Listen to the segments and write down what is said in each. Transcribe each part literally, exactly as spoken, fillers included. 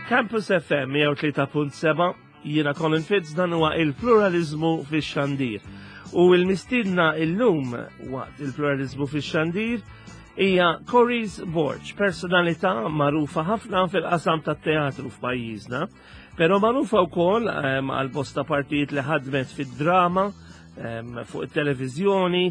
Campus F M mija u tlieta punt seba', jiena Colin Fitz, dan huwa il-pluralizmu fix-xandir. U il-mistidna illum waqt il-pluralizmu fix-xandir hija Coris Borg, personalità magħrufa ħafna fil-qasam tat-teatru f'pajjiżna, però magħrufa wkoll ehm, għal bosta partijiet li ħadmet fid-drama, ehm, fuq it-televiżjoni.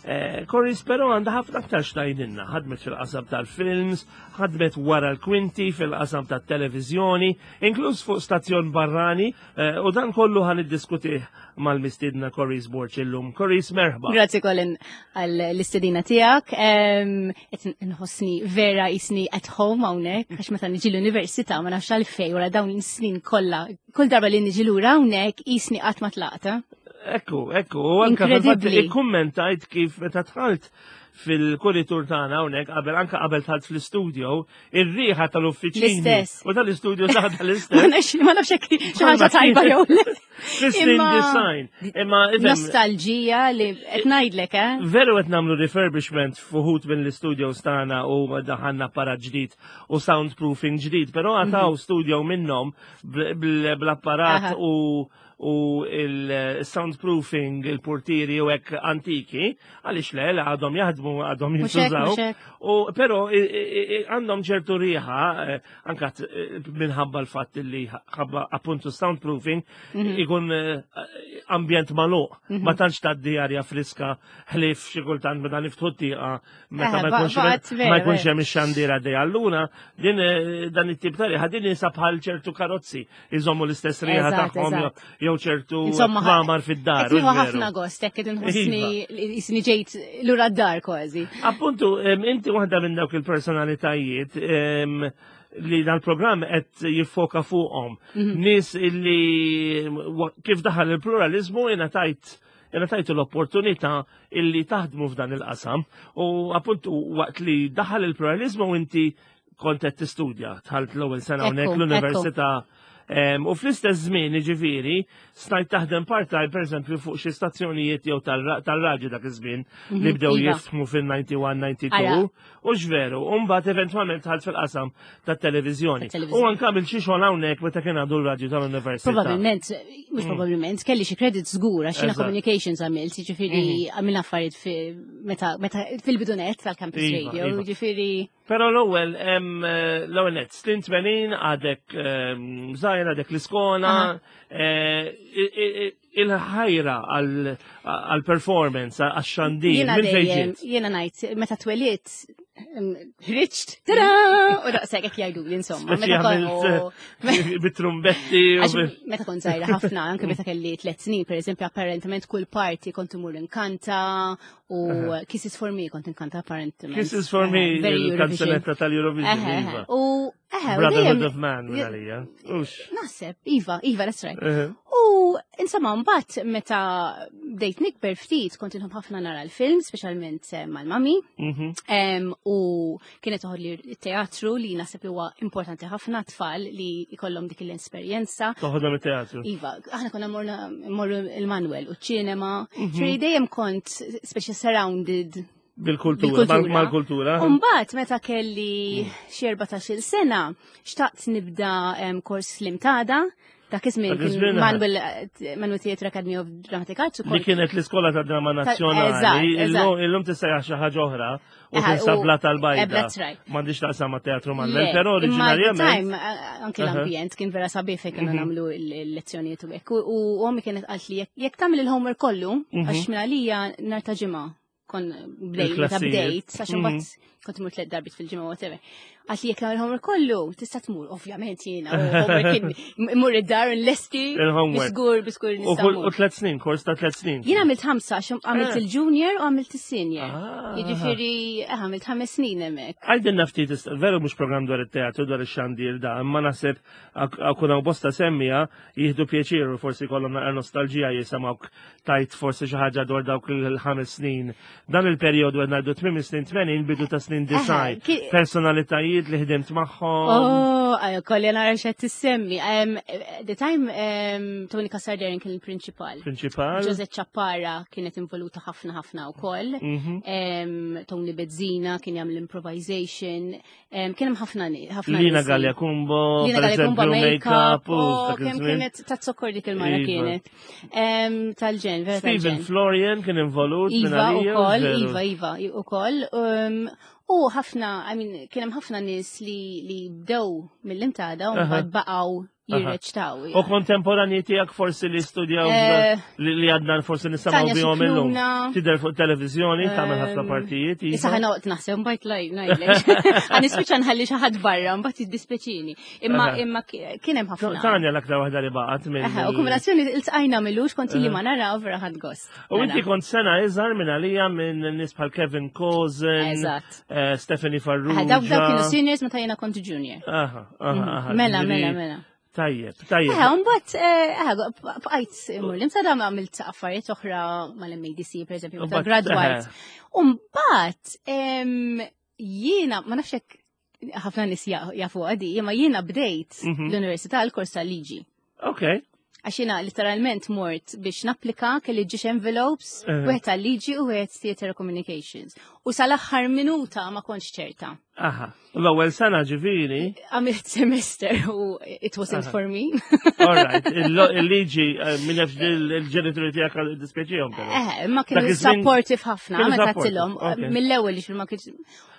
Eh, Coris però għandha ħafna aktar x'tgħidilna, ħadmet fil-qasam tal-films, ħadmet wara l-kwinti fil-qasam tat-televiżjoni, inkluż fuq stazzjon barrani, eh, u dan kollu ħa niddiskutih mal-mistidna Coris Borg illum. Coris, merħba. Grazzi, Colin, għall-istedina tiegħek. Qed nħossni vera jisni at home hawnhekk, għax meta niġi l-università, ma nafx għalfejn, wara dawn is-snin kollha, kull darba li niġi lura hawnhekk jisni qatt ma tlaqta. Ekku, ekku, u anka fil-fatt Incredibly. ikkummentajt kif meta dħalt fil-kuritur tagħna hawnhekk qabel, anka qabel dħalt fl-istudio, ir-riħa tal-uffiċini L-istess. u tal-istudio taħ Ma tal-istess. nafx ma nafx hekk xi ħaġa tajba jew le. Fis-snin Imma- design. Imma ifhem, Nostalġija li qed ngħidlek, eh? Veru, qed nagħmlu refurbishment f'uħud mill-studios tagħna u daħanna apparat ġdid u soundproofing ġdid, però għataw studio minnhom bl- bl- bl-apparat Aha. u u il-soundproofing, il-portieri u hekk antiki, għaliex le, le, għadhom jaħdmu, għadhom Mhux hekk, jintużaw. mhux hekk. U però i- i- i- għandhom ċertu riħa, eh, anka t- eh, minħabba l-fatt li ħabba appuntu soundproofing Mhm. ikun eh, ambjent magħluq, ma tantx tgħaddi arja friska ħlief xi kultant meta niftħu t-tieqa meta Eh, ma ba- jkunx baqgħet vera, ma jkunx vera. hemm ix-xandira dej. Allura din eh, dan it-tip ta' riħa din jinsa bħal ċertu karozzi iżommu l-istess riħa Eżatt, tagħhom eżatt. jew ċertu Insomma, kmamar fid-dar. Qed nieħu u veru. ħafna gost, hekk qed inħossni jisni ġejt lura d-dar kważi. Appuntu, em, inti waħda minn dawk il-personalitajiet em, li dal-programm qed jiffoka fuqhom. Mhm. Nies illi wa- kif daħal il-pluralizmu ingħatajt ingħatajtu l-opportunità illi taħdmu f'dan il-qasam u appuntu waqt li daħal il-pluralizmu inti kont qed tistudja, dħalt l-ewwel sena hawnhekk Ekku, l-università. Em, U fl-istess żmien, ġifieri, stajt taħdem part-time, pereżempju, fuq xi stazzjonijiet jew tal-raġu dak iż-żmien li Mhm, bdew iva. jiftħu fil-disgħa u disgħin, disgħa u tmenin. Ara. U x'veru, u mbagħad eventwalment dħalt fil-qasam tat-televiżjoni. Tat-televiżjoni. U anke għamilt xi xogħol hawnhekk meta kien għadu l-radju tal-università. Probabilment, mhux probabilment, kelli xi credit żgur għax jiena Eżatt. communications għamilt, jiġifieri għamilna affarijiet fi- meta meta fil-bidunet tal-Campus Iva, Radio, iva. jiġifieri Però l-ewwel em, eh, l-ewwel net, snin tmenin, għadek em, żgħir, għadek l-iskola, Aha. eh, i- i- il-ħajra għal-performance, għax-xandir, Jiena minn fejn dejjem, ġiet? jiena ngħid meta twelidt em, ħriġt, tada! U daqshekk hekk jgħidu li insomma. Speċi Meta kon- għamilt bit-trumbetti u Għax bil- meta kont żgħira ħafna, anke meta kelli tliet snin, per eżempju, apparentement kull party kont imur inkanta u Kisses for Me kont inkanta apparentement. Kisses for Me, Eħe, very Eurovision. il-kanzunetta tal-Eurovision. Eħe, eħe. Iva. U eħe, u Brotherhood dejjem- of Man, minn għalija. Ux. Naħseb, iva, iva, that's right. Eħe. U insomma, mbagħad meta bdejt nikber ftit kont inħobb ħafna nara l-film, speċjalment eh, mal-mami. Mhm. Em, u kienet toħodli teatru li naħseb li huwa importanti ħafna tfal li jkollhom dik l-esperjenza. Toħodhom it-teatru. Iva, aħna konna morna morru il-Manuel u ċinema. Ġifieri dejjem kont speċi surrounded Bil-kultura, mal- mal-kultura. Umbagħad meta kelli xi erbatax-il sena, xtaqt nibda em, kors l-MTADA, dak iż-żmien Dak kien iż-żmien, Manuel Manuel Theatre Academy of Dramatic Arts u Li kont kienet l-iskola ta' drama nazzjonali, Eżatt, illum illum tissejjaħ xi ħaġa oħra u Eħe, tinsab u- bla tal-bajda. eh, that's right. M'għandix taqsam ma' teatru Manuel, Le, però imma at the oriġinarjament. time, eh, anke Aha. l-ambjent kien vera sabiħ fejn kienu nagħmlu l-lezzjonijiet u hekk. U u ommi kienet qalt li jekk- jekk tagħmel il-homework kollu, għax minn għalija nhar ta' Ġimgħa kon bdejt, meta Il-klassijiet. bdejt, għax imbagħad kont imur tliet darbiet fil-ġimgħa, whatever. Qalt li jekk nagħmel il-homework kollu, tista' tmur, ovvjament jiena, u homework kien imur id-dar nlesti, Il-homework. bisgur, bisgur U nista' kull- u mmur. tliet snin, kors ta' tliet snin. Jien għamilt ħamsa, għax għamilt Eh. il-junior u għamilt il-senior. Ah. Jiġifieri, eh, għamilt ħames snin hemmhekk. Għajdinna ftit, ist- veru mhux program dwar it-teatru, dwar ix-xandir da, imma naħseb akun hawn bosta semmija jieħdu pjaċir u forsi kollhom naqra nostalġija jisimgħuk tajt forsi xi ħaġa dwar dawk il-ħames snin. Dan il-perjodu qed ngħidu tmiem snin tmenin, bidu ta' snin snin disgħin. Ki- Personalitajiet li ħdimt magħhom. Oh, għajo, kolli nara xed tissemmi. Um, the time um, Tony Cassar Darren kien il-prinċipal. Prinċipal. Jose Ciappara kienet involuta ħafna ħafna u koll. Mhm. Um, Tony Bezzina kien jagħmel improvisation. Um, kien hemm ħafna ni- ħafna Lina nies li- Galea Cumbo, Lina per Galea Cumbo eżempju, make-up, make-up, u oh, dak kemm iż-żmien. kienet ta' zokkor dik il-mara Iva. kienet. Um, Tal-ġen, vera Stephen tal-ġen. Florian kien involut minn Iva u għalija, koll, veru. Iva, Iva, u koll. Um, u ħafna, I mean, kien hemm ħafna nies li, li bdew mill-Imtada u Aha. mbagħad baqgħu jirreċtaw. U kontemporanji tiegħek forsi li studjaw Eh, li li għadna forsi nisimgħu Tanja bihom illum. Scicluna. Tidher fuq televizjoni, tagħmel ħafna Ehm, partijiet. Issa Iva. ħa noqgħod naħseb mbagħad laj ngħidlek. Ħa nispiċċa nħalli xi ħadd barra mbagħad jiddispjaċini. Imma Aha. imma ki- kien hemm ħafna. Tanja l-aktar waħda li baqgħet minn. Aha, U kombinazzjoni iltqajna m'ilux kont li ma nara u vera ħadt gost. U inti kont sena iżgħar minn għalija minn nies bħal Kevin Cozen, Eżatt. eh, Stephanie Aha, Farrugia. Dawk dawk kienu seniors meta jiena kont junior. Aha, aha, aha. Mela, ġifieri- mela, mela. Tajjeb, tajjeb. Eh, mbagħad eh, bqajt immur l-Imsada ma għamilt affarijiet oħra mal-M A D C, per eżempju, meta Mbagħad, graduajt. eh. U mbagħad em, jiena ma nafx hekk ħafna nies ja- jafu għadi, imma jiena bdejt Mhm. l-università l-kors tal-liġi. Ok. Għax jiena literalment mort biex napplika, kelli żewġ envelopes, Eh. wieħed tal-liġi u wieħed theater communications. U sal-aħħar minuta ma kontx ċerta. Aha. L-ewwel sena ġifieri, Għamilt semester u it wasn't Aha. for me. All right, il-liġi eh, minn nafx il-ġenituri tiegħek dispjaċihom però. Eh, ma kienu Dak iż-żmien- supportive ħafna, kienu meta supportive, għedtilhom, ok. mill-ewwel li ma kienx.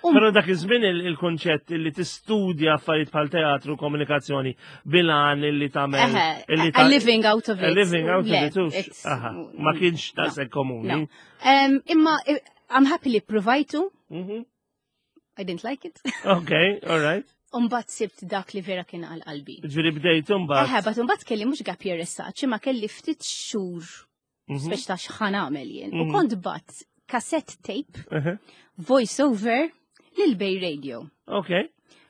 Um, Però dak iż-żmien il- il-konċett li tistudja affarijiet bħal teatru, komunikazzjoni, bilan illi tagħmel Eh, illi a living out of A it. living out of Le, it, hux. it's- Aha, ma kienx no, daqshekk komuni. No. Um, imma eh, I'm happy li provajtu, Mhm. I didn't like it. Ok, all right. Umbagħad sibt dak li vera kien għal qalbi. Ġifieri bdejt imbagħad. Eħe, but umbagħad kelli mhux gap year as such, imma kelli ftit xhur Mhm. speċ ta' x'ħa nagħmel jien. U Mhm. kont bgħatt cassette tape, Mhm. voice over, lil Bay Radio Ok,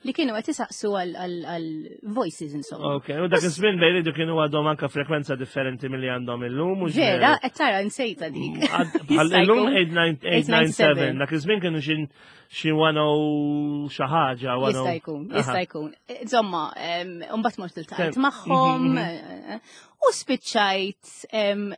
li kienu qed isaqsu għal- għal għal voices insomma. ok. U dak iż-żmien Bay Radio kienu għadhom anka frekwenza differenti milli għandhom illum. Mhux Vera, qed tara nsejta dik. Għad- Bħal Jista' illum jkun. eight nine seven, dak iż-żmien kienu xi xi one oh xi ħaġa. Jista' jkun, jista' jkun. Insomma, em, mbagħad mort iltqajt Tem- magħhom Mhm, eh, u spiċċajt em,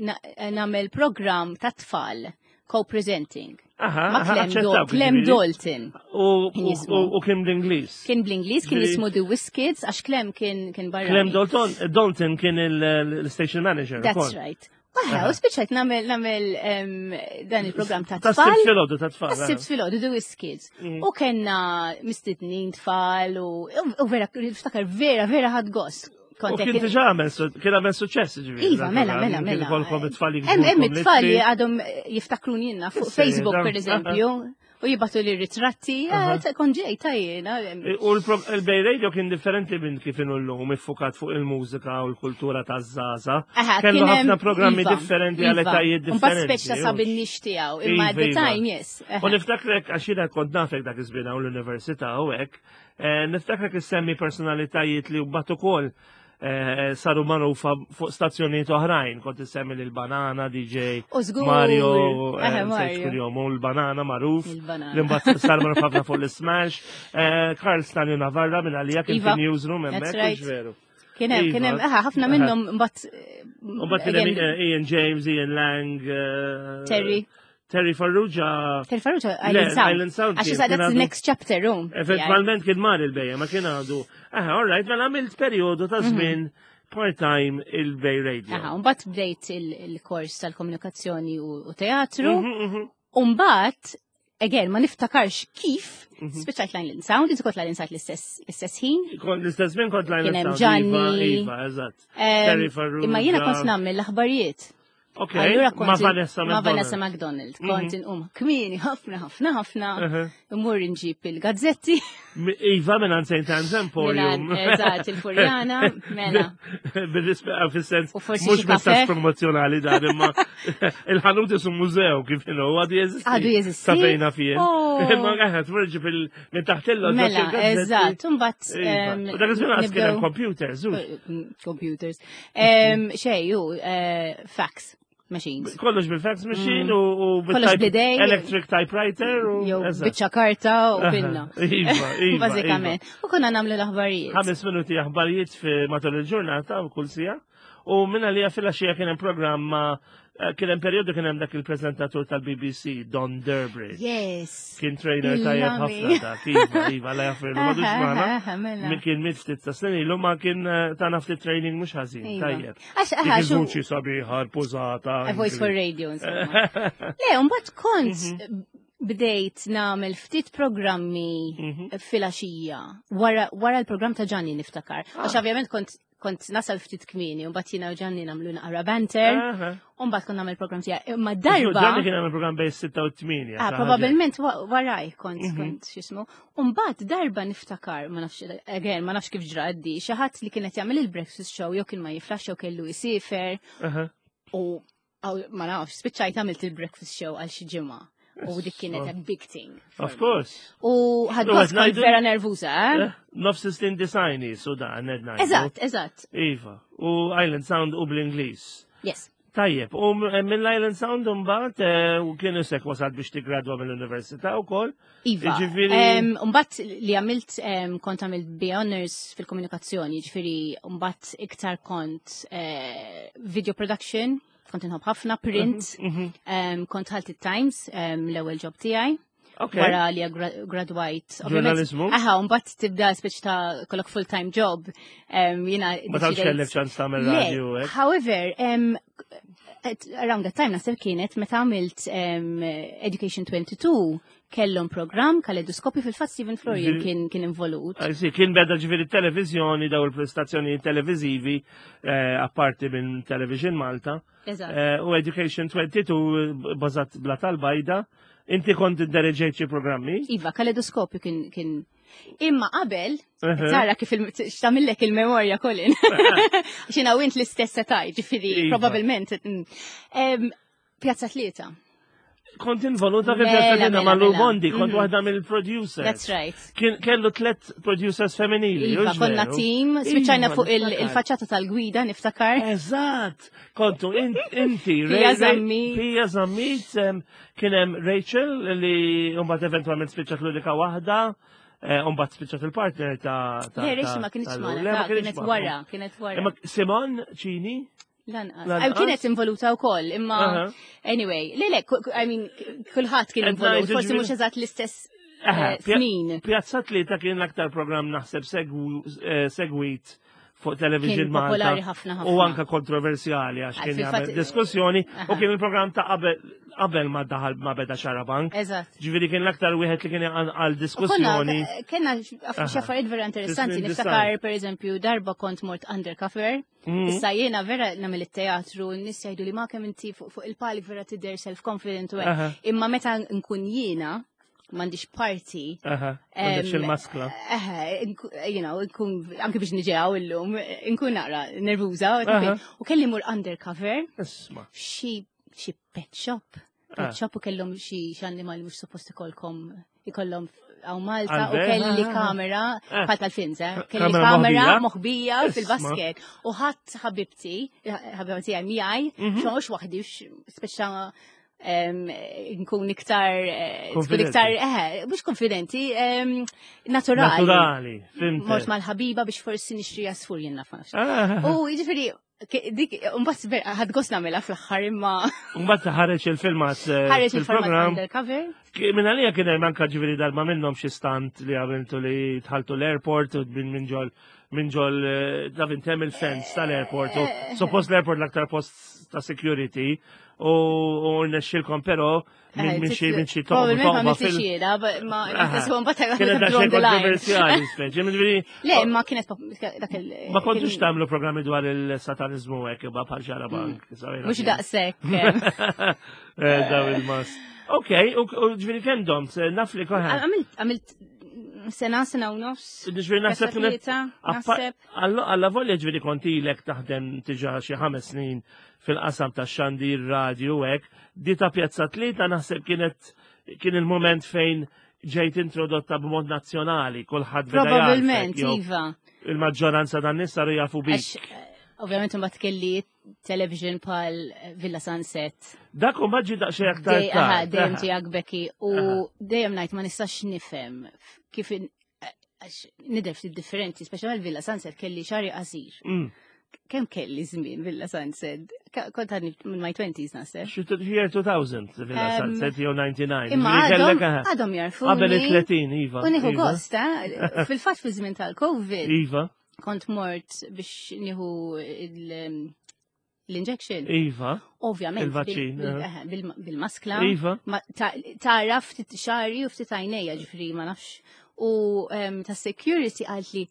na- nagħmel program ta' tfal co-presenting. Aha, Ma' aha, Clem, Dol- aċċettawk, Clem ġifieri. Dalton. U Kien u- jismu. u- u kien bl-Ingliż. Kien bl-Ingliż, kien Ġifieri- jismu The Whiz Kids, għax Clem kien kien barra. Clem Dalton, Dalton kien il-station manager. That's ukoll. right. Aha, u spiċċajt nagħmel nagħmel em, dan il-program ta' Ta' tfal. Sibt filgħodu ta' tfal. Tas-Sibt filgħodu, The Whiz Kids. Mm. U kellna mistednin tfal u u vera, niftakar vera, vera ħadt gost. U Kont kien hekk- diġà għamel su- kien għamel suċċess ġifieri. Iva, mela, mela, Kien mela. ikolkom it-tfal Hemm hemm jiktbulkom it-tfal li littri. għadhom jiftakruni jiena fuq Issa, Facebook, dan- per eżempju, u jibagħtu li ritratti, Aha. eh, kon ġej ta' jiena. U l-Bay Radio kien differenti minn kif inhu llum, iffukat fuq il-mużika u l-kultura taż-żgħażagħ. Aha, Kellu kien hemm- ħafna programmi iva, differenti iva. għal etajiet Mbagħad differenti. speċ ta' sab in-niche tiegħu, imma at Iva, the iva. time, yes. U niftakrek, għax jiena kont nafek dak iż-żmien hawn l-università u hekk, eh, niftakrek issemmi personalitajiet li mbagħad ukoll eh, saru magħrufa fuq stazzjonijiet oħrajn, kont issemmi lil Banana, D J U żgur. Mario, eh, Eħe, nsejt Mario. kuljom, u l-Banana magħruf, Il-Banana. li mbagħad sar magħruf ħafna fuq l-Smash, eh, Karl Stanley Navarra minn għalija kien Iva. fi newsroom That's hemmhekk, right. mhux veru? Kien hemm, kien hemm, Iva. aha, ħafna Aha. minnhom mbagħad U mbagħad kien hemm eh, Ian James, Ian Lang, eh, Terry. Terry Farrugia. Terry Farrugia, Le, Island Sound. Island Sound Għax kien- issa kien that's the għadu- next chapter, um. Eventualment kien mar il-Bay, ma kien għadu. Aha, all right, mela għamilt periodu ta' żmien part-time il-Bay Radio. Aha, mbagħad bdejt il- il-kors tal-komunikazzjoni u u teatru. Mhm, mhm. U mbagħad, again, ma niftakarx kif, Mhm. spiċċajt Line Sound, inti kont Line Sound l-istess l-istess ħin. Kont l-istess minn kont Line Kien hemm Sound, Iva, Gianni. Iva, eżatt. Em, Terry Farrugia. Imma jiena kont nagħmel l-aħbarijiet. Ok, Allura kont ma' Vanessa ma' McDonald. Vanessa McDonald. Kont inqum kmieni ħafna ħafna ħafna. Uh-huh. Immur nġib il-gazzetti. Mi- Iva minn Saint Anne's Emporium. Minn eżatt, il-Furjana, mela. Bil-rispett, fis-sens, U forsi mhux xi messaġġ kafè. promozjonali dan, imma il-ħanut isu mużew kif inhu, għadu jeżisti. Għadu jeżisti? Sa fejna fien. Oh. Imma għaħet, tmur ġib il- minn taħt il Mela, eżatt. Mbagħad Iva. em, U dak iż-żmien għas kien hemm nibdew- computers, hux? Computers. Em, Xej, ju, eh, fax. machines. Kollox bil-fax machine u u Kollox bil-type- bl-idej. electric typewriter u Jew eżatt. biċċa karta u pinna. Iva, iva. Bażikament. U konna nagħmlu l-aħbarijiet. Ħames minuti aħbarijiet fi matul il-ġurnata u kull siegħa. U minna li fil-għaxija kien hemm programma, eh, kien hemm periodu kien hemm dak il-prezentatur tal-B B C, Don Durbridge. Yes. Kien trainer tajjeb Il-lami. ħafna dak, iva, iva, la jaffirlu, madux magħna. Aha, mela. Min kien miet ftit ta' snin ilu, ma kien eh, tana ftit training mhux ħażin, Iva. tajjeb. Għax, Dik aha, xu. il-vuċi sabiħa, l-pużata. A voice for radio, insomma. Le, mbagħad kont Mhm. bdejt nagħmel ftit programmi Mhm. filgħaxija wara wara l-programm ta' Gianni, niftakar. Għax Ah. ovvjament kont kont nasal ftit kmieni, u mbagħad jiena u Gianni nagħmlu naqra banter, Aha. u mbagħad kont nagħmel programm tiegħi. Imma darba Gianni kien għamel program bejn sitta u tmienja. Ah, probabilment wa- waraj kont Mhm. kont x'ismu. Umbagħad darba niftakar, ma nafx, again, ma nafx kif ġra għaddi, xi ħadd li kienet jagħmel il-breakfast show jew kien ma jiflax jew kellu jisifer Aha. u aw, ma nafx, spiċċajt għamilt il-breakfast show għal xi ġimgħa. U dik kienet a big thing for Of me. course. U ħadt U gost, qed kont ngħidu- vera nervuża, eh? Eh, Nofs snin disgħin, so da, ned ngħidu. Eżatt, eżatt. Iva. U Island Sound u bl-Ingliż. Yes. Tajjeb, u m- mill-Island Sound mbagħad eh, u kienu sek wasal biex tigradwa mill-università wkoll. Iva. Jiġifieri- Mbagħad li għamilt, em, kont għamilt B A Honors fil-komunikazzjoni, ġifieri mbagħad iktar kont eh, video production, kont inħobb ħafna print, Mhm. em, kont ħalt it-Times, em, l-ewwel job tiegħi. Ok. Wara li gra- gradwajt. Ġurnalizmu? Aha, mbagħad tibda speċi ta' kollok full-time job. Em, Jiena Ma tantx deċidejt- kellek ċans tagħmel Le, radio hekk. however, um, at around that time naħseb kienet meta għamilt um, Education twenty-two, kellhom program Kaleidoskopju, fil-fatt Stephen Florian Ġifieri- kien kien involut. Ah, sì, kien beda ġifieri televizjoni, daw il-prestazzjoni televizivi, eh, apparti minn Television Malta. Eżatt. Eh, u Education twenty-two bażat Blata l-Bajda. Inti kont iddereġejt xi programmi? Iva, Kaleidoskopju kien kien Imma qabel, Uh-huh. tara kif il- x'tagħmillek il-memorja, Colin. Xina u int l-istess età, ġifieri Iva. probabbilment. mm. Em, Pjazza Tlieta. Kont involuta fi Mela, Pjazza Tlieta mela, ma' Lou mela. Bondi, kont Mhm. waħda mill-producers. That's right. Kien kellu tlet producers femminili. Iva, hux konna veru? team, spiċċajna Iva, fuq il- niftakar. il-faċċata tal-Gwida, niftakar. Eżatt, kontu in- inti, Pia Ray- Ray- Zammit. Pia Zammit, em, kien hemm Rachel li mbagħad eventwalment spiċċat l-unika waħda, eh, mbagħad spiċċat il-partner ta' ta' Le, Rachel ta' ma kienx ta' magħna, Le, ma ta' kienx kienet magħna. wara, kienet wara. Imma Simon Cini? Lanqas. Lanqas? Aw, kienet involuta wkoll, imma Aha. anyway, le le, ku- ku- I mean, kulħadd kien Qed involut, ngħidu forsi ġifieri- mhux eżatt l-istess Aha, eh, Pja- snin. Pjazza Tlieta kien l-aktar program naħseb segwu- eh, segwit fuq Television Kien Malta. popolari ħafna ħafna. U anka kontroversjali għax Ah, kien fil-fatt- jagħmel diskussjoni u Aha. kien il-programm ta' qabel qabel ma daħal ma beda Xarabank. Eżatt. Ġifieri kien l-aktar wieħed li kien għal U konna, diskussjoni. kena xi affarijiet vera interessanti. Fis-snin Niftakar, per eżempju, darba kont mort undercover. Mhm. Issa jiena vera nagħmel it-teatru, n-nies jgħidu li ma kemm inti fuq fuq il-palk vera tidher self-confident u hekk. Aha. Imma meta nkun jiena, m'għandix parti. Aha, għandek il-maskla. Eh, nku- you know, nkun, anke biex niġi hawn illum, nkun naqra nervuża. Aha. U kelli mur undercover Isma. xi xi pet shop. Ah. Pet shop u kellhom xi xi annimali mhux suppost ikolkom ikollhom hawn Malta u Għal-ver? kelli Ah. kamera Ah. bħal tal-films, eh? Kelli Kamera kamera moħbija? moħbija Isma. fil-basket. U ħadd ħabibti, ħabibti għaj miegħi, Mhm. xogħol waħdi, speċa em, nkun iktar, eh, tkun Konfidenti. iktar, eh, mhux konfidenti, em, naturali. Naturali, fhimt. Mort mal-ħabiba biex forsi nixtri għasfur, jien naf. Ah. U jiġifieri, ke- dik, mbagħad vera ħadt gost nagħmilha fl-aħħar, imma Mbagħad ħareġ il-filmat eh, ħareġ il-format fil-programm. undercover. Ki- Minn għalija kien hemm anka ġifieri darba minnhom xi stunt li għamiltu li dħaltu l-airport u minn minn ġol minn ġol eh, da intem il-fence tal-airport u suppost l-airport l-aktar post ta' security u u rnexxilkom però minn minn xi minn xi toqba Probabilment ma toqba għamiltix fil- jiena, ma Aha. mbagħad Kienet daqsxejn drawn the line. kontroversjali speċi. Ġifieri, Le, ma kienet pop- dak il- ma kontux kien- tagħmlu programmi dwar il-satanizmu hekk imma bħal Xarabank. Mhux daqshekk. Eh, Daw il-mas. Ok, u u ġifieri kemm domt, naf li koħan. Għamilt għamilt sena, sena u nofs. Ġifieri naħseb Pjazza kienet. Tlieta, naħseb. Alla volja ġifieri kont ilek taħdem diġà xi ħames snin fil-qasam ta' xandir radio hekk, di ta' Pjazza Tlieta naħseb kienet kien il-moment fejn ġejt introdotta b'mod nazzjonali, kulħadd beda Probabilment, jagħrfek, jew iva. il-maġġoranza tan nies saru jafu bik. Għax Ovvjament imbagħad kelli television bħal Villa Sunset. Dak u maġġi daqsxejn aktar Dej- aha, tard. Dejjem Aha. tiegħek Becky u Aha. dejjem ngħid ma nistax nifhem kif in- għax nidher ftit differenti, speċjalment Villa Sunset kelli xagħri qasir. Mm. Kemm kelli żmien Villa Sunset? Ka- Kont għadni minn my twenties naħseb. Xi t- year two thousand, Villa Em, Sunset, jew disgħa u disgħin. Imma Ġifieri għadhom kellek, aha, għadhom jarfuni. qabel it-tletin, iva. U nieħu iva. gost, eh? Fil-fatt fi żmien tal-Covid Iva, kont mort biex nieħu il- l-injection. Iva, Ovvjament. Il-vaċċin, bil- bil- eh. eh, bil- Bil-maskla. Iva. Ma ta- Taraf ftit xagħri u ftit għajnejja, ġifieri ma nafx. U em, ta' security qalt li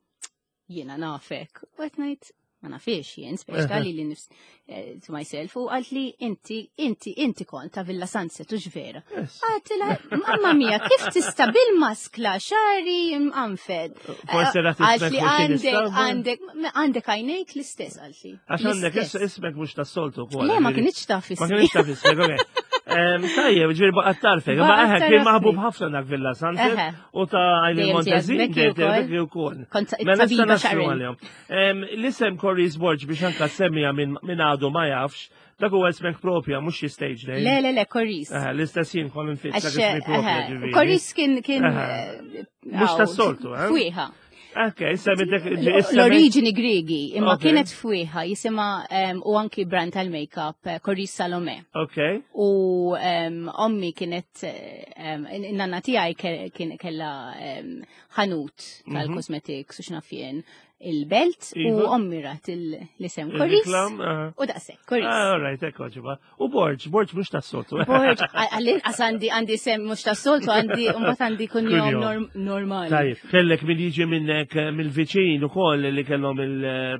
jiena nafek. U qed ngħid ma nafix jien, speċi li li nifs eh, to myself. U qalt li inti, inti, inti kont ta' Villa Sunset u vera. Yes. Għedtilha, mamma mia, kif tista bil-maskla, xagħri mqanfed? Forsi rat Għalt ismek li mhux għandek, jinistaba. għandek, għandek għajnejk l-istess, qalt li. Għax għandek L-istess. ismek mhux tas-soltu wkoll. Le, ma ġifieri- kinitx taf Ma ismi. kienx taf ismek, ok. Em, Tajjeb, ġifieri baqgħet tagħrfek. Ma Baqgħet eħe, kien tagħrafni. maħbub ħafna dak Villa Sunset Eħe. u ta' Eileen Dejjem Montezin, tiegħek Becky dejjem wkoll. Becky wkoll. Kont Mela issa tabiba naslu Sharon. għalihom. Em, L-isem Coris Borg, biex anka semmija minn min għadu ma jafx, dak huwa ismek propja, mhux xi stage name. Le, le, le, Coris. Eħe, l-istess jien Colin Fitz, dak Għax, ismi propja eħe, ġifieri. Coris kien, kien, Eħe. eh, Mhux għaw, tas-soltu, eh? Fwieħa. Ok, semmitek L-oriġini Gregi, imma Ok. kienet fwieħa, jisimha em, u anki brand tal-makeup, eh, Coris Salome. Ok, U em, ommi kienet, em, in-nanna tiegħi ke- kien kella em, ħanut tal-cosmetics u x'naf jien il-Belt u Iva. ommi rat il- l-isem Coris. Il-reklam. Aha. U daqshekk, Coris. Ah, all right, ekko ġiba. U Borg, Borg mhux tas-soltu. Borg, għall-inqas għandi għandi sem mhux tas-soltu, għandi mbagħad għandi kunjom Kunjom. norm- normali. Tajib, kellek min jiġi minnek eh, mill-viċin u koll li kellhom il, eh,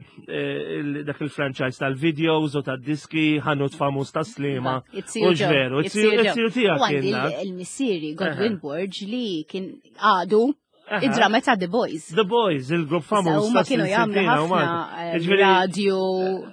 il- dak il-franchise tal-videos u tad-diski, ħanut famuż ta' Sliema. It-siju U ġveru, it-siju tiegħek U għandi kien dak. il-missieri Godwin Borg li kien għadu Aha. id-drama ta' The Boys. The Boys, il-grupp famuż Issa huma ta' kienu jagħmlu sittina u ħafna Malta. eh, Ġifieri- radio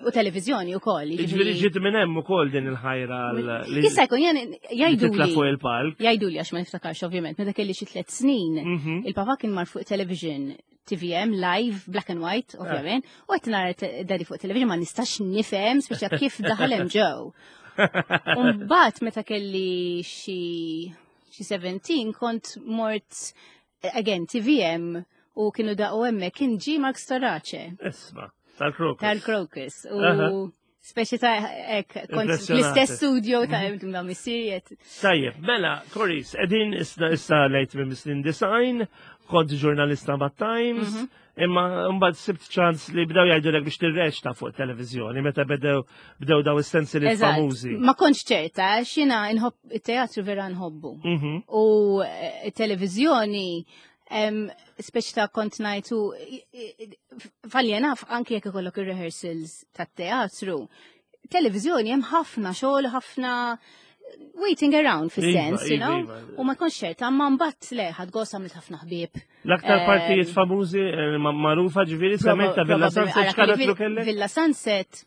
u televizjoni wkoll. Ġifieri ġiet minn hemm ukoll din il-ħajra l- li Jista' jkun jien li titla' fuq jgħiduli il-palk. jgħiduli għax ma niftakarx ovvjament, meta kelli xi tliet snin, Mhm. il-papa kien mar fuq television T V M live, black and white, ovvjament, u qed nara te- daddy fuq television ma nistax nifhem speċa kif daħal hemm ġew. Mbagħad meta kelli xi xi sbatax kont mort again T V M u kienu daqu hemmhekk kien ġi Mark Storace Isma, tal-Krokus. Tal-Krokus. Aha. U speċi ta' ek, kont Impressjonati. fl-istess studio ta' ma' missieriet. Tajjeb, mela, Coris, edin issa issa lejt minn snin disgħin, kont ġurnalista ma' Times, Mhm. imma mbagħad sibt ċans li bdew jgħidulek biex tirreċta fuq televizjoni meta bdew bdew daw is-sensiliet Eżatt. famużi. Ma kontx ċerta, xina nħobb it-teatru, vera nħobbu. Mhm. U eh, televizjoni, em, speċi ta' kont ngħidu, falli naf, anki jekk ikollok ir-rehearsals tat-teatru, televizjoni hemm ħafna xogħol, ħafna waiting around fis-sens, Iva, you know? iva, iva. U ma kontx ċerta, ma mbagħad le, ħadt gost, għamilt ħafna ħbieb. L-aktar Em, partijiet famużi eh, ma- magħrufa ġifieri semmejt ta' Villa Sunset, x'karattru kellek? Villa Sunset,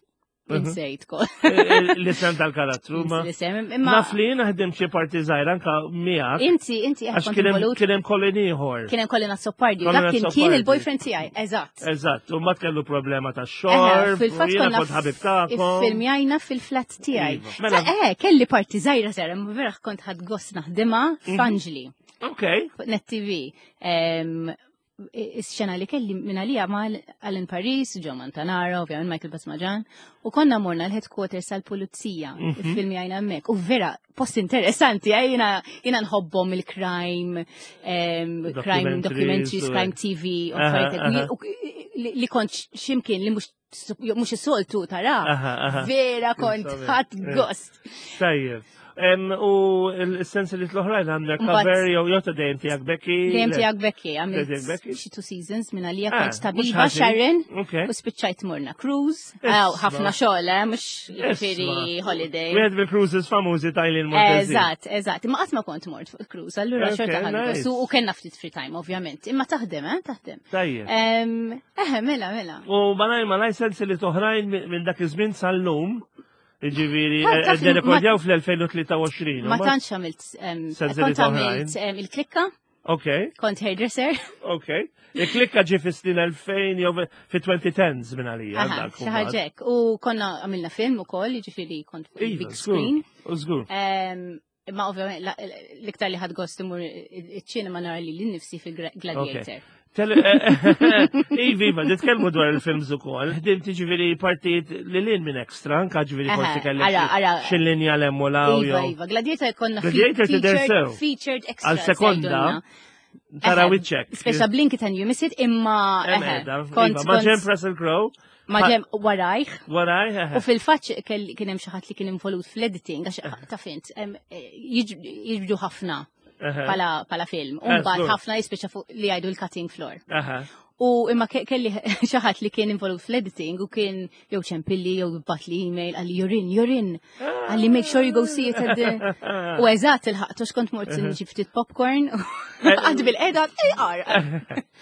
Mhm. insejt kol. Eh, L-isem tal-karattru, ma. L-isem, imma Naf li jiena ħdim xi parti żgħira anka miegħek inti, inti għax kont kien hemm involut. kien hemm Colin ieħor. Kien hemm Colin Azzopardi, u Colin dak kien kien Azzopardi. il-boyfriend tiegħi, eżatt. Eżatt, u ma kellu problema ta' Eħe, xorb, u fil-fatt jiena konna kont ħabib tagħkom. Iffilmjajna fil-flat tiegħi. Iva. Mela- Sa- Eh, kelli parti żgħira żgħira, ma vera kont ħadt gost naħdimha Mhm. f'Anġli, Ok, fuq Net T V. Em, Is-xena li kelli minn għalija ma' Alan Paris, Joe Montanaro, ovvjament Michael Basmaġan, u konna morna l-headquarters tal-pulizija, Mhm. filmjajna hemmhekk. U vera, post interessanti, eh, jiena jiena nħobbhom il-crime, em, crime Documentaries documentaries, u- crime T V, u Aha, affarijiet aha. hekk. U- li li kont ximkien li mhux mhux is-soltu tara. Aha, aha. Vera kont Insomma, ħadt eh. gost. Tajjeb. Em, U l-sens li l-oħrajn għandek Mbagħad- cover jew jew ta' dejjem tiegħek Becky. Dejjem Le. tiegħek Becky, għamilt Dejjem Becky? xi two seasons minn għalija Ah, kont mhux tabiba ħażin. Sharon Ok. u spiċċajt morna cruise. Isma. Aw, ħafna xogħol, eh, mhux ġifieri Isma. holiday. Wieħed mill-cruises famużi ta' Eileen Montezin. Eżatt, eżatt. Imma qatt ma kont mort fuq cruise, allura Ok, xorta ħadt nice. gost. U u kellna ftit free time, ovvjament. Imma taħdem, eh, taħdem. Tajjeb. Em, Eħe, mela, mela. U malaj malaj sensiliet oħrajn minn minn dak iż-żmien sal-lum, ġifieri, Ta' taf li rekordjaw fl-elfejn u tlieta u għoxrin. Ma tantx għamilt, em, Sensieli kont għamilt em, il-klikka. Ok, Kont hairdresser. ok. Il-klikka ġie fis-snin elfejn jew fi twenty tens minn għalija. Aha, dak xi mbagħad. Ħaġa hekk. U konna għamilna film ukoll, jiġifieri kont fuq Iva, il-big żgur. screen. U żgur. Em, Imma ovvjament la- l-iktar li ħadt gost immur iċ-ċinema nara lili nnifsi fil-Gladiator. Tele- eh, Iva, iva, nitkellmu dwar il-films ukoll. Ħdimt ġifieri partijiet li lin minn extra, anka ġifieri Aha, forsi kellek ara, ara. xi linja lemmu law Iva, jew. iva. Gladiator konna Gladiator tidher featured, sew. featured extra. Għal sekonda, tara wiċċek. Speċa blink it and you miss it, imma Hemm eħe, qiegħda, kont iva, ma' kont ġenb Russell Crowe, ma' ġenb warajh. Waraj, eħe. U fil-fatt kien hemm xi ħadd li kien involut fl-editing, għax taf int, em, jiġ- jiġbdu ħafna Eħe. pala pala film. U Eh, mbagħad żgur. ħafna jispiċċa fuq li jgħidu l-cutting floor. Aha. U imma ke- kelli xi ħadd li kien involut fl-editing u kien jew ċempilli jew bagħatli email, qalli, "You're in, you're in." Qalli, "Make sure you go see it at the." U eżatt il-ħaqtu xkont mort nġib ftit popcorn. Għad bil-qeda, ar.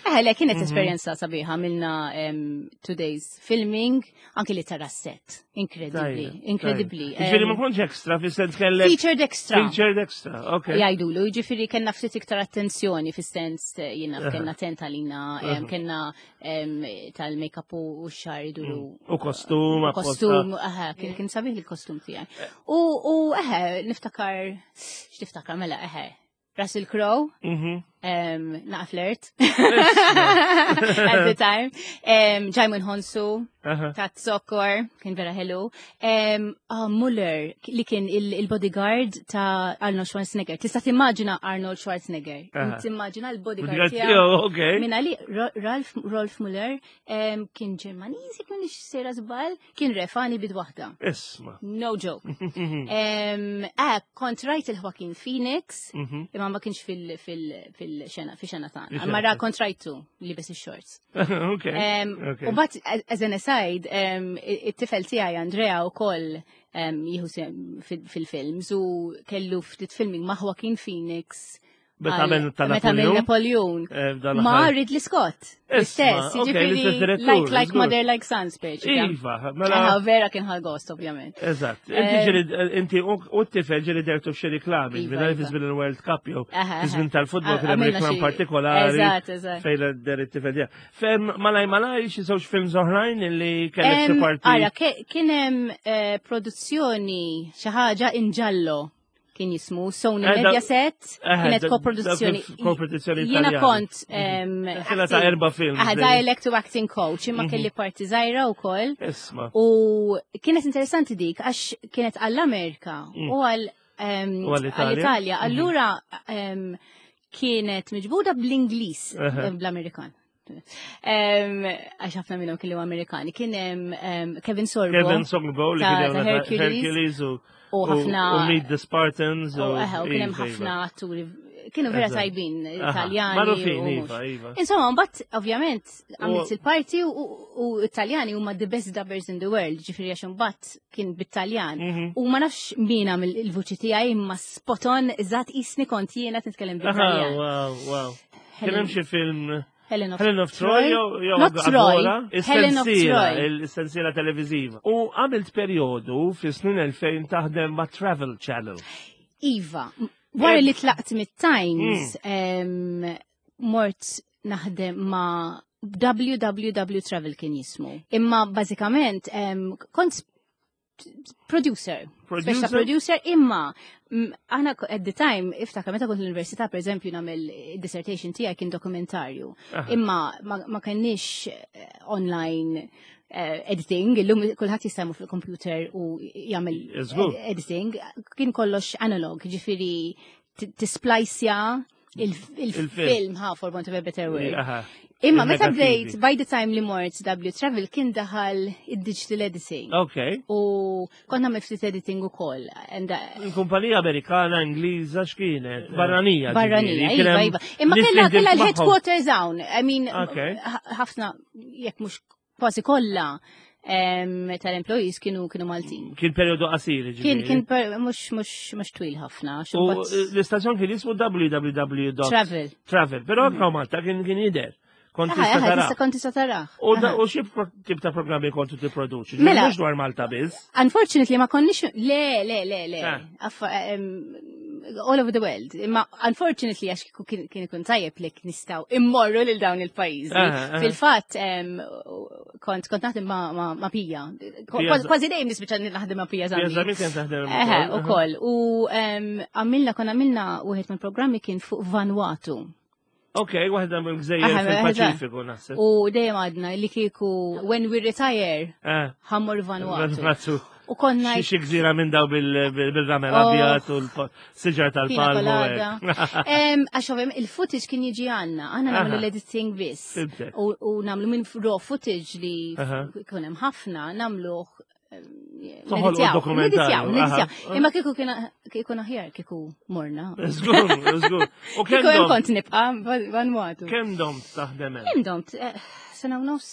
Eh, le, kienet esperjenza sabiħa, għamilna em, two days filming, anki li tara set. Incredibly, Tajjeb, incredibly. tajjeb. Ġifieri ma Em, kontx extra, fis-sens kellek. Featured extra. Featured extra, ok. Jgħidulu, ġifieri kellna ftit iktar attenzjoni fis-sens eh, jiena kellna tent għalina, em, kellna em, tal-make-up u u x-xagħar iduru. U kostum, U apposta. kostum, aha, kien kien sabiħ il-kostum tiegħi. U u eħe, niftakar, x'tiftakar mela, eħe, Russell Crowe, Mhm. um, naqa flirt at the time, um, Djimon Hounsou, Aha. ta' Sokor, kien vera ħelu. Um, ah, Muller, li kien il- il-bodyguard ta' Arnold Schwarzenegger. Tista' timmaġina Arnold Schwarzenegger. Aha. Timmaġina l-bodyguard Bodyguard tiegħu. tiegħu, ok. Minna li Ro- Ralph, Rolf Muller um, kien Ġermaniż, jekk m'iniex sejra żball, kien refani b'id waħda. Isma. No joke. um, ah, kont rajt il-Joaquin Phoenix, Mhm. imma ma kienx fil- fil- fil-xena, fi xena tagħna. Fi Imma xena. ra kont rajtu li bes ix-shorts. Ok. Um, ok. U but, as an aside, um, it-tifel tiegħi Andrea u koll um, jieħu sehem fil-films u kellu ftit filming ma' Joaquin Phoenix Meta għal- għamel ta' Meta għamel Napoleon. Napoleon. Eh, f'dan Ma l-aħħar. Ridley Scott. Isma, L-istess, ok, jiġifieri l-istess direttur, like like żgur. mother like son speċi. Iva, mela. Eħe, vera kien ħa gost, ovvjament. Eżatt. Inti Eh, ġieli, inti u u t-tifel ġieli dehertu f'xi reklami, Iva, minn fi iva. żmien il-World Cup jew Aha, fi żmien aha. tal-futbol kien hemm Għamilna reklam xi- partikolari. Eżatt, eżatt. Fejn deher it-tifel tiegħek. Fem malaj malaj xi żewġ films oħrajn illi kellek xi Em, parti. Ara, ke- kien hemm eh, produzzjoni xi ħaġa in giallo kien jismu Sony Eh, da- Mediaset, Eh, kienet da- koproduzzjoni. dak koproduzzjoni Jiena Italjana. kont em, Sensiela ta' acting- erba' films. Ah, dej. dialect u acting coach, imma kelli parti żgħira wkoll. Isma. U kienet interessanti dik għax kienet għall-Amerika Mm. u għall em, U għall-Italja. għall-Italja. Allura em, kienet miġbuda bl-Ingliż, Aha. bl-Amerikan. Em, Għax ħafna minnhom kienu Amerikani. Kien hemm em, Kevin Sorbo Kevin Sorbo li ta' kien ta' hemm Hercules. Hercules u u ħafna u Meet the Spartans u u eħe, u kien hemm iva, ħafna iva. atturi kienu vera Eżatt. tajbin, Aha, Italjani. Magħrufin, u mhux. iva, iva. Insomma, mbagħad ovvjament għamilt U- il-parti u u Italjani huma the best dubbers in the world, ġifieri għax imbagħad kien bit-Taljan. Mhm. U ma nafx min għamel il-vuċi tiegħi imma spot on eżatt qisni kont jiena nitkellem Aha, bit-Taljan. wow, wow. Kien hemm xi film Helen of Helen of Troy jew jew Not Troy, Agora? Helen of Is-sensiela, Troy. il-sensiela televiżiva. U għamilt perjodu fi snin elfejn taħdem ma' Travel Channel. Iva, wara Eh, li tlaqt mit-Times, Mm. em, mort naħdem ma' W W W Travel kien jismu. Imma bażikament em, kont producer. Producer? Speċa producer imma mm, aħna at the time, iftakar meta kont l-università, per eżempju, nagħmel dissertation tiegħi kien dokumentarju. Aha. Imma ma, ma kenniex eh, online eh, editing, illum kulħadd jista' jmur fil-computer u jagħmel Żgur. ed- editing, kien kollox analog, ġifieri t- tisplajsja il- il-film, ha, for want of a better word. Aha. Imma meta Il-negattivi. bdejt, by the time li mort W Travel kien daħal id-digital editing. Ok. U kont nagħmel ftit editing ukoll. And, uh, Il-kumpanija Amerikana, Ingliża, x'kienet? Barranija. Barranija, ġifieri, kien iva, hemm iva. Imma nies li kella kella ħdimt magħhom. l-headquarters hawn. I mean, Ok. ħ- ħafna, jekk mhux kważi kollha em, tal-employees kienu kienu Maltin. Kien perjodu qasir, Kien ġifieri. kien per- mhux mhux mhux twil ħafna. U l-istazzjon kien jismu W W W. Travel. Travel, però anka Malta kien kien jidher. Kont Aha, tista' aha, tara. tista' kont tista' tarah. U da- Aha. u xi pro- tip ta' programmi kontu tipproduċi? Mela. Mhux dwar Malta biss. Unfortunately ma konniex, le, le, le, le. Ah. Affa, em, all over the world. Imma unfortunately għax kieku kien kien ikun tajjeb li nistgħu immorru lil dawn il-pajjiżi. Aha, aha. Fil-fatt em, kont kont naħdem ma' ma' ma' Pija. Pija Kważi dejjem nispiċċa naħdem ma' Pija Pija Zammit. Zammit kien taħdem Eħe, ukoll. u koll. U em, għamilna, kon għamilna wieħed mill-programmi kien fuq Vanuatu. Ok, waħda mill-gżejjer Aha, fil-Paċifiku naħseb. U dejjem għadna li kieku when we retire Eh, ħa mmorru Vanuatu. Vanuatu. U konna Xi xi gżira minn daw bil- bil- bil-ramel Oh. abjad u l-siġar Pina tal-palmu. colada. hekk. Em, Għax ovvjament il-footage kien jiġi għandna, aħna nagħmlu Aha. l-editing biss. Fhimtek. U u nagħmlu minn raw footage li Aha. kien hemm ħafna, nagħmluh Toħolqu dokumentarju, Neditjaw, aha. Imma kieku kien kieku aħjar kieku morna. Żgur, żgur. U Kieku kemm hemm dom kont nibqa' Vanuatu. kemm dom taħdem hemm? Kemm domt? Eh, Sena u nofs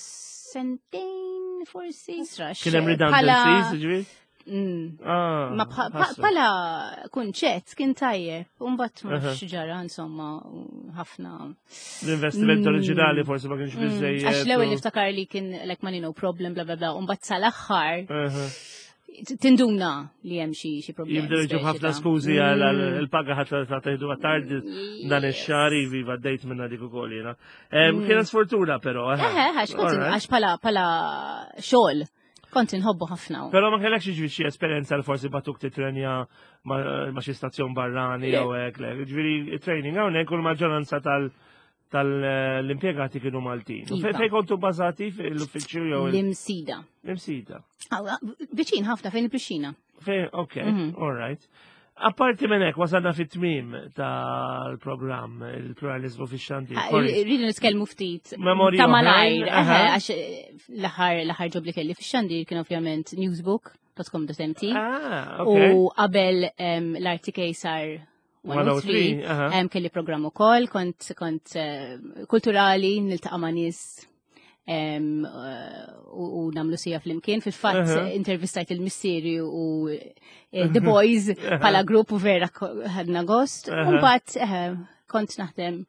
sentejn forsi. Srax. Kien hemm redundancies, ġifieri? Mm. Ah, Ma bħa- ħasra. bħala kunċett kien tajjeb, u mbagħad ma Aha. nafx ġara insomma u ħafna. L-investiment Mm. oriġinali forsi ma kienx Mm, biżejjed. Għax l-ewwel u- niftakar li kien like money no problem, bla bla bla, u mbagħad sal-aħħar Aha. tinduna li hemm xi xi problemi. Jibdew jiġu ħafna skużi għal għal il-paga ħadd ta' teħdu tard dan ix-xahar iva għaddejt minna dik ukoll jiena. Em, Kienet sfortuna però. aha. Eħe, għax kont Alright. għax pala pala xogħol kont inħobbu ħafna. Però ma kellekx jiġri xi esperjenza li forsi batuk titrenja ma ma xi stazzjon barrani Le. jew hekk, le. Ġifieri training hawnhekk u l-maġġoranza tal tal-impjegati kienu Maltin. U Iva. Fejn fejn kontu bażati fil-uffiċċju jew il- L-Imsida. l-Imsida? Aw, viċin ħafna fejn il-pixxina. Fejn, ok, Mhm. all right. Apparti minn hekk wasalna fit-tmiem tal-programm il-pluralizmu fix-xandir. Ah, Corrie, Rridu nitkellmu ftit Memorji ta' oħrajn, malajr, eħe, aha. għax eh, l-aħħar l-aħħar job li kelli fix-xandir kien ovvjament newsbook dot com dot M T Ah, ok. u qabel em, l-R T K sar mija u tlieta, aha. em, kelli programm ukoll, kont kont eh, kulturali, niltaqa' ma' nies em, eh, u u nagħmlu siegħa flimkien. Fil-fatt Aha. intervistajt il-missieri u eh, The Boys bħala grupp u vera ko- ħadna gost. Aha. U mbagħad eh, kont naħdem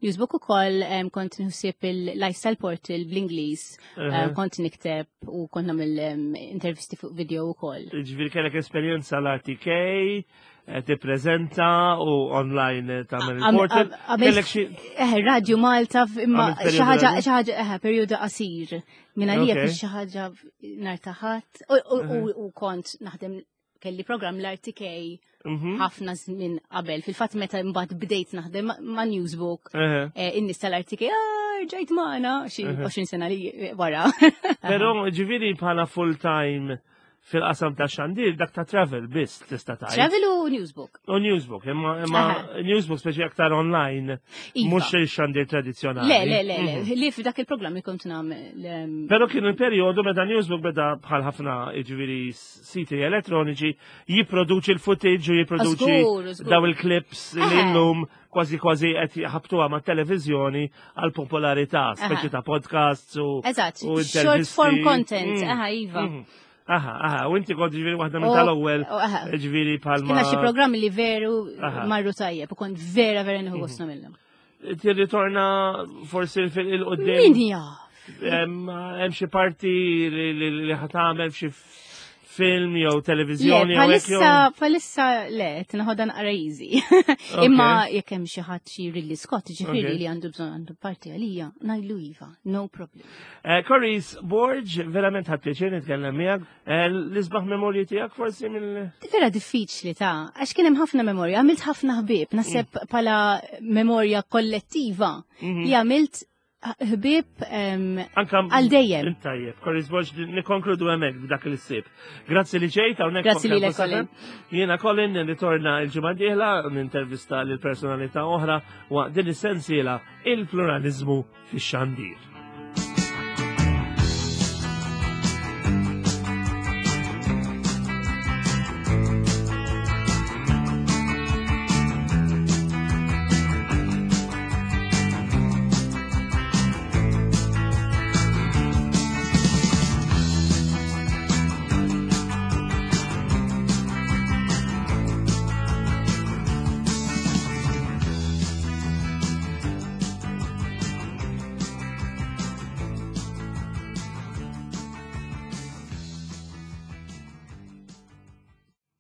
Newsbook ukoll, em, kont nħossib il-lifestyle portal bl-Ingliż, Aha. em, kont nikteb u kont nagħmel em, intervisti fuq video ukoll. Ġifieri kellek esperjenza l-R T K, eh, tippreżenta u online eh, tagħmel Għam- il-portal. għam- għamilt- Kellek xi Eh, Radio Malta, f- imma Għamilt periodu xi ħaġa, radio? xi ħaġa, eh, periodu qasir. Minn għalija Ok. kien xi ħaġa nhar ta' Ħadd. U- u- U u kont naħdem kelli program l-R T K Mhm. ħafna żmien qabel. Fil-fatt meta mbagħad bdejt naħdem ma- ma' Newsbook, Eħe. eh, in-nies tal-R T K, ah, ġejt magħna xi għoxrin sena li wara. Però ġifieri bħala full time fil-qasam ta' xandir, dak ta' travel biss tista' tgħid. Travel u Newsbook. U Newsbook, imma imma Newsbook speċi aktar online, Iva. mhux il-xandir tradizzjonali. Le, le, le, le, Mhm. li f'dak il-programm li kont nagħmel. em, Però kien il-perjodu meta Newsbook beda bħal ħafna ġifieri siti elettroniċi jipproduċi l-footage u jipproduċi Żgur, żgur. daw il-clips li Eħe. llum kważi kważi qed jħabtuha ma' televizjoni għal popolarità, speċi Aha. ta' podcasts u Eżatt, u short intervisti. form content, Mm. aha, iva. Mhm. Aha, aha, u inti kont ġifieri waħda minn U- tal-ewwel u, aha. ġifieri palma. Kiena xi programmi li veru Aha. marru tajjeb u kont vera vera nieħu gost nagħmilhom. Tirritorna forsi fil-qoddim. Min jaf? Hemm hemm xi parti li li- li ħa tagħmel f'xi film jew televiżjoni Le, jew hekk jew. palissa, palissa le, tinħodan naqra easy. Imma jekk hemm xi ħadd xi Ridley Scott, ġifieri Ok. li għandu bżonn għandu parti għalija, ngħidlu iva, no problem. Eh, Coris Borg, verament ħadt pjaċir nitkellem miegħek. Eh, L-isbaħ memorji tiegħek forsi mill. Vera diffiċli ta' għax kien hemm ħafna memorja, għamilt ħafna ħbieb, naħseb bħala memorja kollettiva Mhm. li għamilt ħbieb em, Anka għal dejjem. Tajjeb, Coris Borg, nikkonkludu hemmhekk b'dak il-sib. Grazzi li ġejt hawnhekk. Grazzi fuq lilek, Campus Colin. F M. Jiena Colin nirritorna il-ġimgħa d-dieħla nintervista lil personalità oħra waqt din is-sensiela il-pluralizmu fix-xandir.